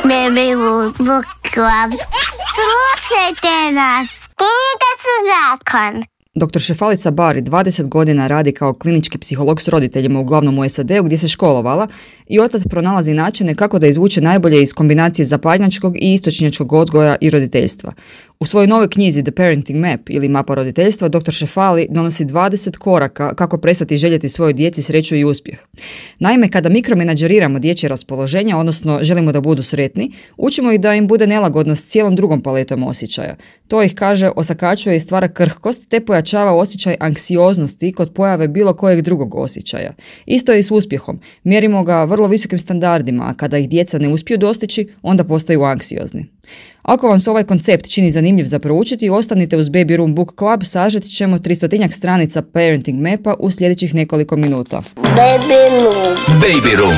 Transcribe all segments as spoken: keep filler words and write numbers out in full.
Baby Book Club. Slušajte nas, knjige su zakon. doktor Šefalica Bari dvadeset godina radi kao klinički psiholog s roditeljima uglavnom u S A D-u gdje se školovala i otad pronalazi načine kako da izvuče najbolje iz kombinacije zapadnjačkog i istočnjačkog odgoja i roditeljstva. U svojoj novoj knjizi The Parenting Map ili Mapa roditeljstva doktor Šefali donosi dvadeset koraka kako prestati željeti svojoj djeci sreću i uspjeh. Naime, kada mikromenadžeriramo dječje raspoloženja, odnosno želimo da budu sretni, učimo ih da im bude nelagodno s cijelom drugom paletom osjećaja. To ih, kaže, osakačuje i stvara krhkost te pojačava osjećaj anksioznosti kod pojave bilo kojeg drugog osjećaja. Isto je i s uspjehom. Mjerimo ga vrlo visokim standardima, a kada ih djeca ne uspiju dostići, onda postaju anksiozni. Ako vam se ovaj koncept čini zanimljiv za proučiti, ostanite uz Baby Room Book Club, sažeti ćemo tristotinjak stranica Parenting Mapa u sljedećih nekoliko minuta. Baby Room. Baby Room.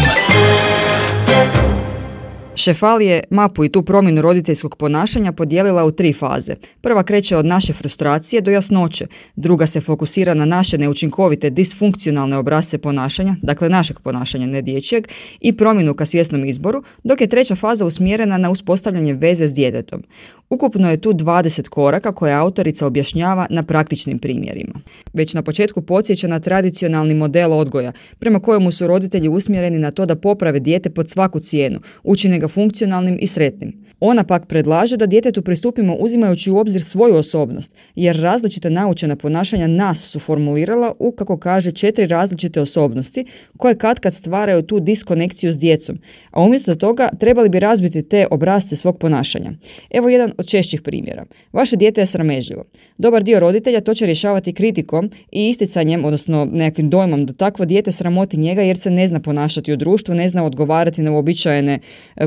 Šefali je mapu i tu promjenu roditeljskog ponašanja podijelila u tri faze. Prva kreće od naše frustracije do jasnoće, druga se fokusira na naše neučinkovite disfunkcionalne obrasce ponašanja, dakle našeg ponašanja, ne dječjeg, i promjenu ka svjesnom izboru, dok je treća faza usmjerena na uspostavljanje veze s djetetom. Ukupno je tu dvadeset koraka koje autorica objašnjava na praktičnim primjerima. Već na početku podsjeća na tradicionalni model odgoja, prema kojemu su roditelji usmjereni na to da poprave dijete pod svaku cijenu, učine ga funkcionalnim i sretnim. Ona pak predlaže da djetetu pristupimo uzimajući u obzir svoju osobnost, jer različita naučena ponašanja nas su formulirala u, kako kaže, četiri različite osobnosti koje katkad stvaraju tu diskonekciju s djecom, a umjesto toga trebali bi razbiti te obrasce svog ponašanja. Evo jedan od češćih primjera. Vaše dijete je sramežljivo. Dobar dio roditelja to će rješavati kritikom i isticanjem, odnosno nekakvim dojmom da takvo dijete sramoti njega jer se ne zna ponašati u društvu, ne zna odgovarati na uobičajene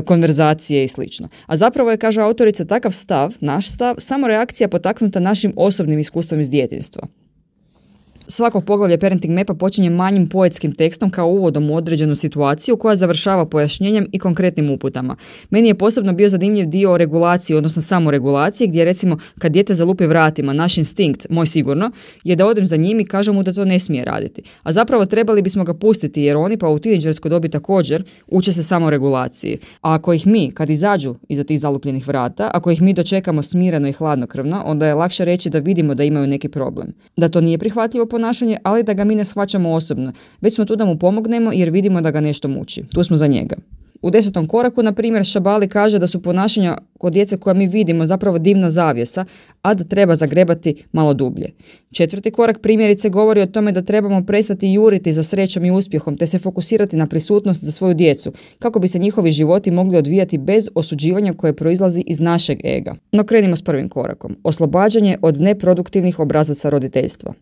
konverzacije i slično. A zapravo je, kaže autorica, takav stav, naš stav, samo reakcija potaknuta našim osobnim iskustvom iz djetinjstva. Svako poglavlje Parenting Mapa počinje manjim poetskim tekstom kao uvodom u određenu situaciju koja završava pojašnjenjem i konkretnim uputama. Meni je posebno bio zanimljiv dio o regulaciji, odnosno samoregulaciji, gdje recimo kad dijete zalupi vratima, naš instinkt, moj sigurno, je da odem za njim i kažem mu da to ne smije raditi. A zapravo trebali bismo ga pustiti jer oni pa u tinejdžerskoj dobi također uče se samoregulaciji. A ako ih mi, kad izađu iza tih zalupljenih vrata, ako ih mi dočekamo smireno i hladnokrvno, onda je lakše reći da vidimo da imaju neki problem. Da to nije prihvatljivo ponašanje, ali da ga mi ne shvaćamo osobno. Već smo tu da mu pomognemo jer vidimo da ga nešto muči. Tu smo za njega. U desetom koraku, na primjer, Šabali kaže da su ponašanja kod djece koja mi vidimo zapravo dimna zavjesa, a da treba zagrebati malo dublje. Četvrti korak primjerice govori o tome da trebamo prestati juriti za srećom i uspjehom te se fokusirati na prisutnost za svoju djecu, kako bi se njihovi životi mogli odvijati bez osuđivanja koje proizlazi iz našeg ega. No krenimo s prvim korakom. Oslobađanje od neproduktivnih obrazaca roditeljstva.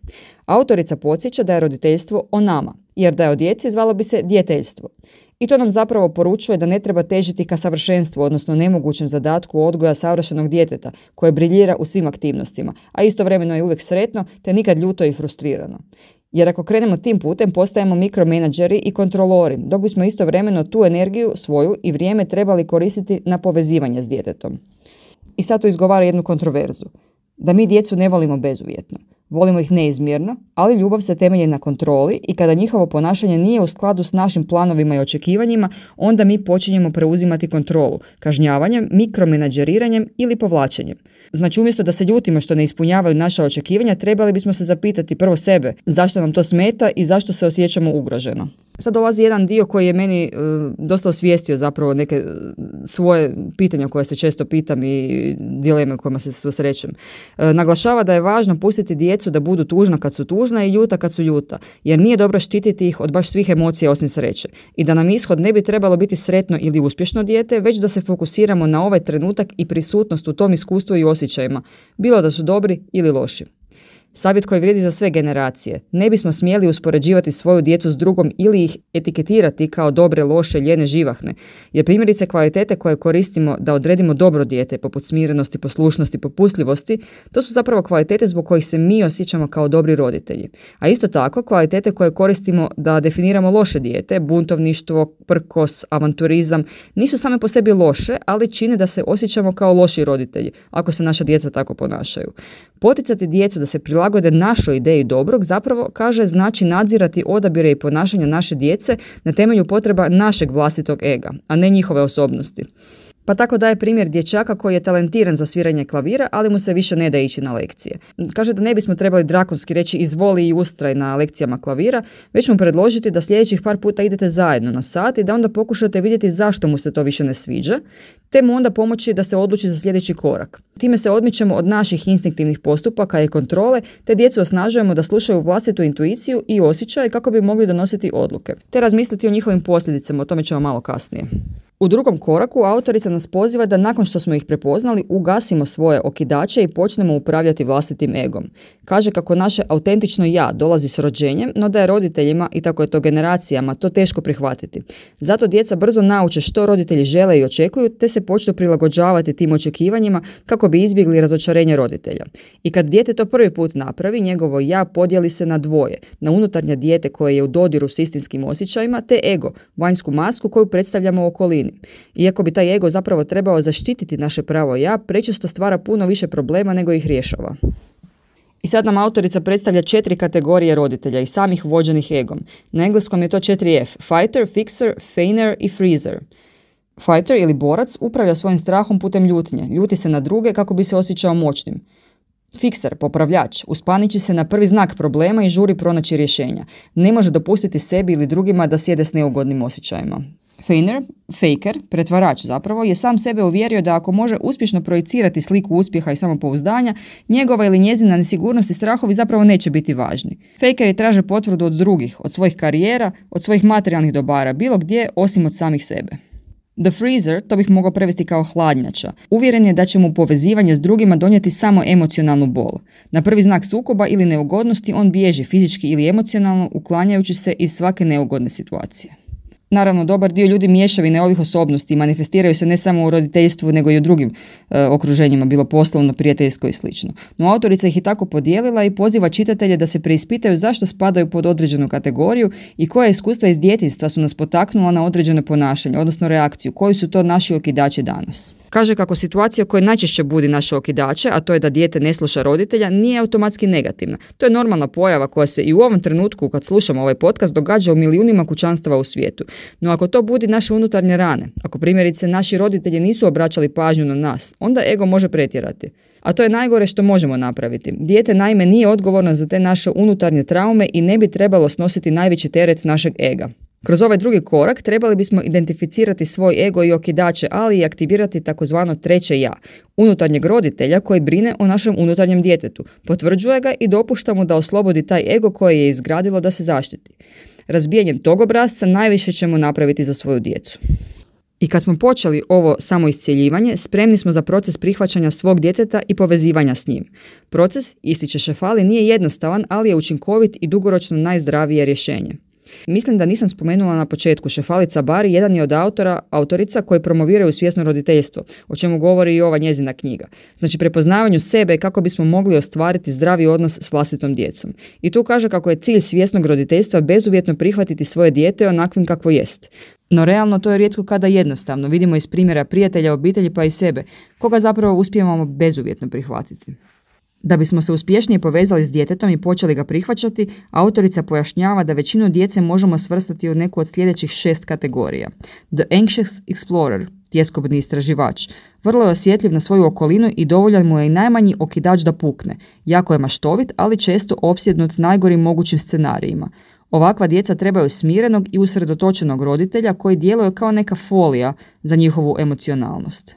Autorica podsjeća da je roditeljstvo o nama, jer da je o djeci zvalo bi se djeteljstvo. I to nam zapravo poručuje da ne treba težiti ka savršenstvu, odnosno nemogućem zadatku odgoja savršenog djeteta, koje briljira u svim aktivnostima, a istovremeno je uvijek sretno te nikad ljuto i frustrirano. Jer ako krenemo tim putem, postajemo mikromenadžeri i kontrolori, dok bismo istovremeno tu energiju svoju i vrijeme trebali koristiti na povezivanje s djetetom. I sad to izgovara jednu kontroverzu. Da mi djecu ne volimo bezuvjetno. Volimo ih neizmjerno, ali ljubav se temelji na kontroli i kada njihovo ponašanje nije u skladu s našim planovima i očekivanjima, onda mi počinjemo preuzimati kontrolu, kažnjavanjem, mikromenadžeriranjem ili povlačenjem. Znači, umjesto da se ljutimo što ne ispunjavaju naša očekivanja, trebali bismo se zapitati prvo sebe zašto nam to smeta i zašto se osjećamo ugroženo. Sad dolazi jedan dio koji je meni uh, dosta osvijestio zapravo neke uh, svoje pitanja koje se često pitam i dileme kojima se susrećem. Uh, naglašava da je važno pustiti djecu da budu tužna kad su tužna i ljuta kad su ljuta, jer nije dobro štititi ih od baš svih emocija osim sreće. I da nam ishod ne bi trebalo biti sretno ili uspješno dijete, već da se fokusiramo na ovaj trenutak i prisutnost u tom iskustvu i osjećajima, bilo da su dobri ili loši. Savjet koji vrijedi za sve generacije. Ne bismo smjeli uspoređivati svoju djecu s drugom ili ih etiketirati kao dobre, loše, ljene, živahne. Jer primjerice kvalitete koje koristimo da odredimo dobro dijete, poput smirenosti, poslušnosti, popustljivosti, to su zapravo kvalitete zbog kojih se mi osjećamo kao dobri roditelji. A isto tako, kvalitete koje koristimo da definiramo loše dijete, buntovništvo, prkos, avanturizam, nisu same po sebi loše, ali čine da se osjećamo kao loši roditelji, ako se naša djeca tako ponašaju. Poticati djecu da se prilagode našoj ideji dobrog, zapravo, kaže, znači nadzirati odabire i ponašanja naše djece na temelju potreba našeg vlastitog ega, a ne njihove osobnosti. Pa tako daje primjer dječaka koji je talentiran za sviranje klavira, ali mu se više ne da ići na lekcije. Kaže da ne bismo trebali drakonski reći izvoli i ustraj na lekcijama klavira, već mu predložiti da sljedećih par puta idete zajedno na sat i da onda pokušate vidjeti zašto mu se to više ne sviđa, te mu onda pomoći da se odluči za sljedeći korak. Time se odmičemo od naših instinktivnih postupaka i kontrole, te djecu osnažujemo da slušaju vlastitu intuiciju i osjećaj kako bi mogli donositi odluke, te razmisliti o njihovim posljedicama, o tome ćemo malo kasnije. U drugom koraku autorica nas poziva da nakon što smo ih prepoznali ugasimo svoje okidače i počnemo upravljati vlastitim egom. Kaže kako naše autentično ja dolazi s rođenjem, no da je roditeljima i tako je to generacijama to teško prihvatiti. Zato djeca brzo nauče što roditelji žele i očekuju, te se počnu prilagođavati tim očekivanjima kako bi izbjegli razočarenje roditelja. I kad dijete to prvi put napravi, njegovo ja podijeli se na dvoje, na unutarnje dijete koje je u dodiru s istinskim osjećajima, te ego, vanjsku masku koju predstavljamo u okolini. Iako bi taj ego zapravo trebao zaštititi naše pravo ja, prečesto stvara puno više problema nego ih rješava. I sad nam autorica predstavlja četiri kategorije roditelja i samih vođenih egom. Na engleskom je to četiri F, fighter, fixer, feigner i freezer. Fighter ili borac upravlja svojim strahom putem ljutnje, ljuti se na druge kako bi se osjećao moćnim. Fixer, popravljač, uspaniči se na prvi znak problema i žuri pronaći rješenja. Ne može dopustiti sebi ili drugima da sjede s neugodnim osjećajima. Feigner, faker, pretvarač zapravo, je sam sebe uvjerio da ako može uspješno projicirati sliku uspjeha i samopouzdanja, njegova ili njezina nesigurnost i strahovi zapravo neće biti važni. Fakeri traže potvrdu od drugih, od svojih karijera, od svojih materijalnih dobara, bilo gdje osim od samih sebe. The freezer, to bih mogao prevesti kao hladnjača, uvjeren je da će mu povezivanje s drugima donijeti samo emocionalnu bol. Na prvi znak sukoba ili neugodnosti on bježi fizički ili emocionalno, uklanjajući se iz svake neugodne situacije. Naravno, dobar dio ljudi mješavine ovih osobnosti manifestiraju se ne samo u roditeljstvu, nego i u drugim e, okruženjima, bilo poslovno, prijateljsko i slično. No, autorica ih je tako podijelila i poziva čitatelje da se preispitaju zašto spadaju pod određenu kategoriju i koja iskustva iz djetinjstva su nas potaknula na određeno ponašanje, odnosno reakciju, koji su to naši okidači danas. Kaže kako situacija koja najčešće budi naše okidače, a to je da dijete ne sluša roditelja, nije automatski negativna. To je normalna pojava koja se i u ovom trenutku, kad slušamo ovaj podcast, događa u milijunima kućanstava u svijetu. No ako to budi naše unutarnje rane, ako primjerice naši roditelji nisu obraćali pažnju na nas, onda ego može pretjerati. A to je najgore što možemo napraviti. Dijete naime nije odgovorno za te naše unutarnje traume i ne bi trebalo snositi najveći teret našeg ega. Kroz ovaj drugi korak trebali bismo identificirati svoj ego i okidače, ali i aktivirati takozvano treće ja, unutarnjeg roditelja koji brine o našem unutarnjem djetetu, potvrđuje ga i dopušta mu da oslobodi taj ego koji je izgradilo da se zaštiti. Razbijanjem tog obrasca najviše ćemo napraviti za svoju djecu. I kad smo počeli ovo samoiscjeljivanje, spremni smo za proces prihvaćanja svog djeteta i povezivanja s njim. Proces, ističe Šefali, nije jednostavan, ali je učinkovit i dugoročno najzdravije rješenje. Mislim da nisam spomenula na početku, Šefali Tsabari jedan je od autora, autorica koji promoviraju svjesno roditeljstvo, o čemu govori i ova njezina knjiga. Znači prepoznavanju sebe kako bismo mogli ostvariti zdravi odnos s vlastitom djecom. I tu kaže kako je cilj svjesnog roditeljstva bezuvjetno prihvatiti svoje dijete onakvim kakvo jest. No realno to je rijetko kada jednostavno, vidimo iz primjera prijatelja, obitelji pa i sebe, koga zapravo uspijevamo bezuvjetno prihvatiti. Da bismo se uspješnije povezali s djetetom i počeli ga prihvaćati, autorica pojašnjava da većinu djece možemo svrstati u neku od sljedećih šest kategorija. The anxious explorer, tjeskobni istraživač, vrlo je osjetljiv na svoju okolinu i dovoljan mu je i najmanji okidač da pukne. Jako je maštovit, ali često opsjednut najgorim mogućim scenarijima. Ovakva djeca trebaju smirenog i usredotočenog roditelja koji djeluje kao neka folija za njihovu emocionalnost.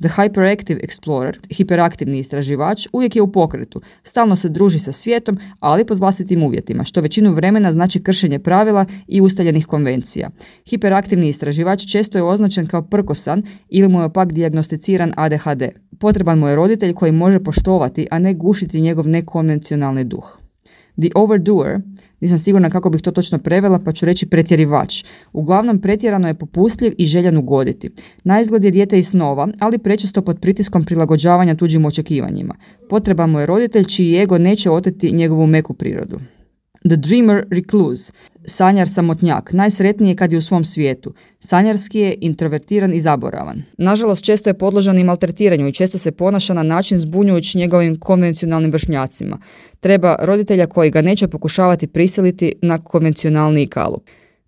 The hyperactive explorer, hiperaktivni istraživač, uvijek je u pokretu, stalno se druži sa svijetom, ali pod vlastitim uvjetima, što većinu vremena znači kršenje pravila i ustaljenih konvencija. Hiperaktivni istraživač često je označen kao prkosan ili mu je pak dijagnosticiran A D H D. Potreban mu je roditelj koji može poštovati, a ne gušiti njegov nekonvencionalni duh. The overdoer, nisam sigurna kako bih to točno prevela, pa ću reći pretjerivač. Uglavnom pretjerano je popustljiv i željan ugoditi. Naizgled je dijete i snova, ali prečesto pod pritiskom prilagođavanja tuđim očekivanjima. Potreban mu je roditelj čiji ego neće oteti njegovu meku prirodu. The dreamer recluse, sanjar samotnjak, najsretniji je kad je u svom svijetu. Sanjarski je introvertiran i zaboravan. Nažalost, često je podložan i maltretiranju i često se ponaša na način zbunjujući njegovim konvencionalnim vršnjacima. Treba roditelja koji ga neće pokušavati prisiliti na konvencionalniji kalup.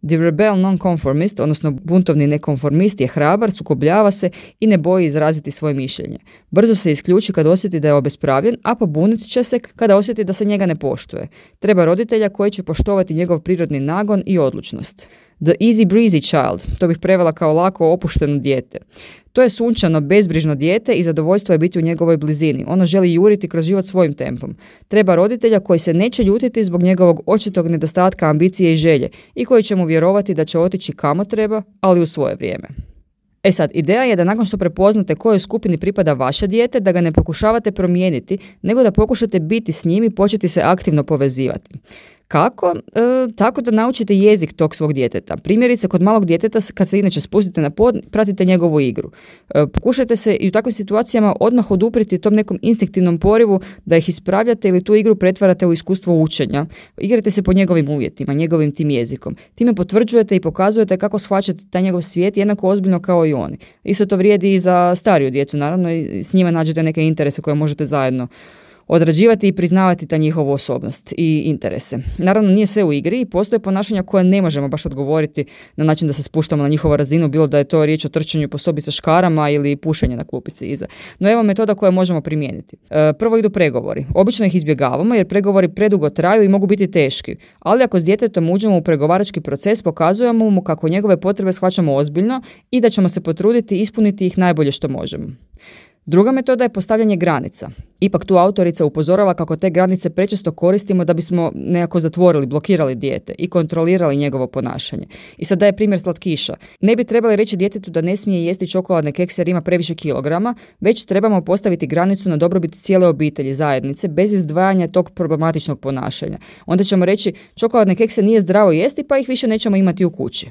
The rebel nonconformist, odnosno buntovni nekonformist, je hrabar, sukobljava se i ne boji izraziti svoje mišljenje. Brzo se isključi kad osjeti da je obespravljen, a pobunit će se kada osjeti da se njega ne poštuje. Treba roditelja koji će poštovati njegov prirodni nagon i odlučnost. The easy breezy child, to bih prevela kao lako opušteno dijete. To je sunčano, bezbrižno dijete i zadovoljstvo je biti u njegovoj blizini. Ono želi juriti kroz život svojim tempom. Treba roditelja koji se neće ljutiti zbog njegovog očitog nedostatka ambicije i želje i koji će mu vjerovati da će otići kamo treba, ali u svoje vrijeme. E sad, ideja je da nakon što prepoznate kojoj skupini pripada vaše dijete, da ga ne pokušavate promijeniti, nego da pokušate biti s njim i početi se aktivno povezivati. Kako? E, tako da naučite jezik tog svog djeteta. Primjerice, kod malog djeteta, kad se inače spustite na pod, pratite njegovu igru. E, pokušajte se i u takvim situacijama odmah odupriti tom nekom instinktivnom porivu da ih ispravljate ili tu igru pretvarate u iskustvo učenja. Igrajte se po njegovim uvjetima, njegovim tim jezikom. Time potvrđujete i pokazujete kako shvaćate taj njegov svijet jednako ozbiljno kao i oni. Isto to vrijedi i za stariju djecu, naravno, i s njima nađete neke interese koje možete zajedno odrađivati i priznavati ta njihovu osobnost i interese. Naravno, nije sve u igri i postoje ponašanja koje ne možemo baš odgovoriti na način da se spuštamo na njihovu razinu, bilo da je to riječ o trčanju po sobi sa škarama ili pušenje na klupici iza. No evo metoda koje možemo primijeniti. E, prvo idu pregovori. Obično ih izbjegavamo jer pregovori predugo traju i mogu biti teški, ali ako s djetetom uđemo u pregovarački proces, pokazujemo mu kako njegove potrebe shvaćamo ozbiljno i da ćemo se potruditi ispuniti ih najbolje što možemo. Druga metoda je postavljanje granica. Ipak tu autorica upozorava kako te granice prečesto koristimo da bismo nekako zatvorili, blokirali dijete i kontrolirali njegovo ponašanje. I sad daje primjer slatkiša. Ne bi trebali reći djetetu da ne smije jesti čokoladne kekse jer ima previše kilograma, već trebamo postaviti granicu na dobrobit cijele obitelji, zajednice, bez izdvajanja tog problematičnog ponašanja. Onda ćemo reći čokoladne kekse nije zdravo jesti pa ih više nećemo imati u kući.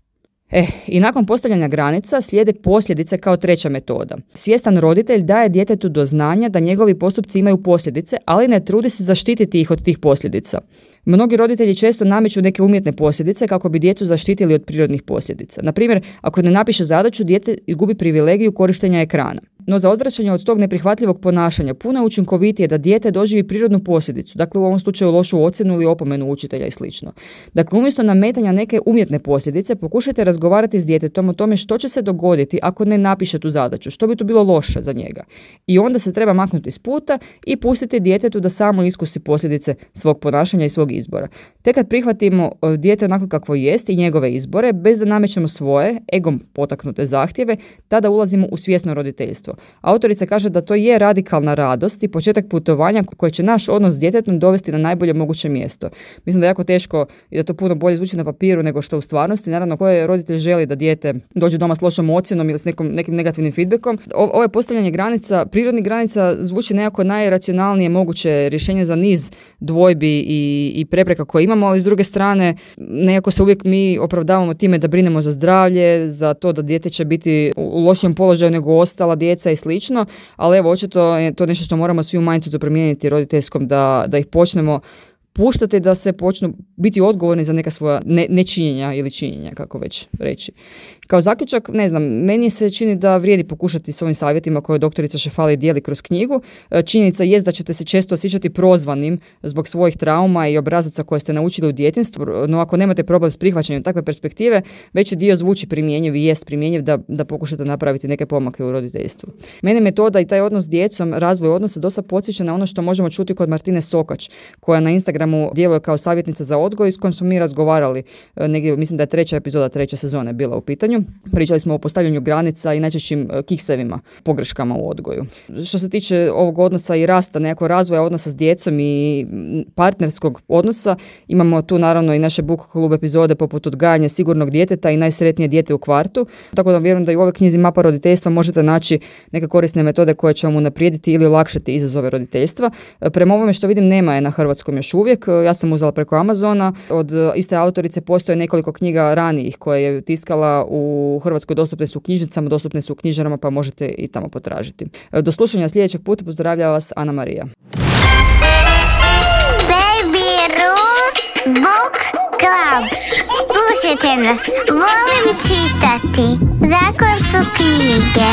E, i nakon postavljanja granica slijede posljedice kao treća metoda. Svjestan roditelj daje djetetu do znanja da njegovi postupci imaju posljedice, ali ne trudi se zaštititi ih od tih posljedica. Mnogi roditelji često nameću neke umjetne posljedice kako bi djecu zaštitili od prirodnih posljedica. Na primjer, ako ne napiše zadaću, dijete gubi privilegiju korištenja ekrana. No za odvraćanje od tog neprihvatljivog ponašanja puno je učinkovitije da dijete doživi prirodnu posljedicu, dakle u ovom slučaju lošu ocjenu ili opomenu učitelja i slično. Dakle, umjesto nametanja neke umjetne posljedice, pokušajte razgovarati s djetetom o tome što će se dogoditi ako ne napiše tu zadaću, što bi to bilo loše za njega. I onda se treba maknuti s puta i pustiti djetetu da samo iskusi posljedice svog ponašanja i svog izbora. Tek kad prihvatimo dijete onako kakvo jest i njegove izbore, bez da namećemo svoje, egom potaknute zahtjeve, tada ulazimo u svjesno roditeljstvo. Autorica kaže da to je radikalna radost i početak putovanja koje će naš odnos s djetetom dovesti na najbolje moguće mjesto. Mislim da je jako teško i da to puno bolje zvuči na papiru nego što u stvarnosti. Naravno, koji roditelj želi da dijete dođe doma s lošom ocjenom ili s nekom, nekim negativnim feedbackom. O, ovo je postavljanje granica, prirodnih granica zvuči nekako najracionalnije moguće rješenje za niz dvojbi i, i prepreka koje imamo, ali s druge strane nekako se uvijek mi opravdavamo time da brinemo za zdravlje, za to da dijete će biti u lošijem položaju nego ostala djeca i slično, ali evo očito je to nešto što moramo svi u mindsetu promijeniti roditeljskom, da, da ih počnemo puštati da se počnu biti odgovorni za neka svoja ne, nečinjenja ili činjenja, kako već reći. Kao zaključak, ne znam, meni se čini da vrijedi pokušati s ovim savjetima koje doktorica Šefali dijeli kroz knjigu. Činjenica jest da ćete se često osjećati prozvanim zbog svojih trauma i obrazaca koje ste naučili u djetinjstvu, no ako nemate problem s prihvaćanjem takve perspektive, veći dio zvuči primjenjiv i jest primjenjiv da, da pokušate napraviti neke pomake u roditeljstvu. Mene metoda i taj odnos s djecom, razvoj odnosa dosta podsjeća na ono što možemo čuti kod Martine Sokač, koja na Instagramu djeluje kao savjetnica za odgoj s kojom smo mi razgovarali, negdje, mislim da je treća epizoda treće sezone bila u pitanju. Pričali smo o postavljanju granica i najčešćim kiksevima, pogreškama u odgoju. Što se tiče ovog odnosa i rasta, nekako razvoja odnosa s djecom i partnerskog odnosa, imamo tu naravno i naše book klub epizode poput odgajanja sigurnog djeteta i najsretnije dijete u kvartu. Tako da vjerujem da i u ovoj knjizi Mapa roditeljstva možete naći neke korisne metode koje će vam unaprijediti ili olakšati izazove roditeljstva. Prema ovome što vidim nema je na hrvatskom još uvijek. Ja sam uzela preko Amazona. Od iste autorice postoje nekoliko knjiga ranijih koje je tiskala u Hrvatskoj, dostupne su u knjižnicama, dostupne su u knjižarama, pa možete i tamo potražiti. Do slušanja sljedećeg puta, pozdravlja vas Ana Marija. Baby Room Book Club. Slušajte nas, volim čitati. Zakon su knjige.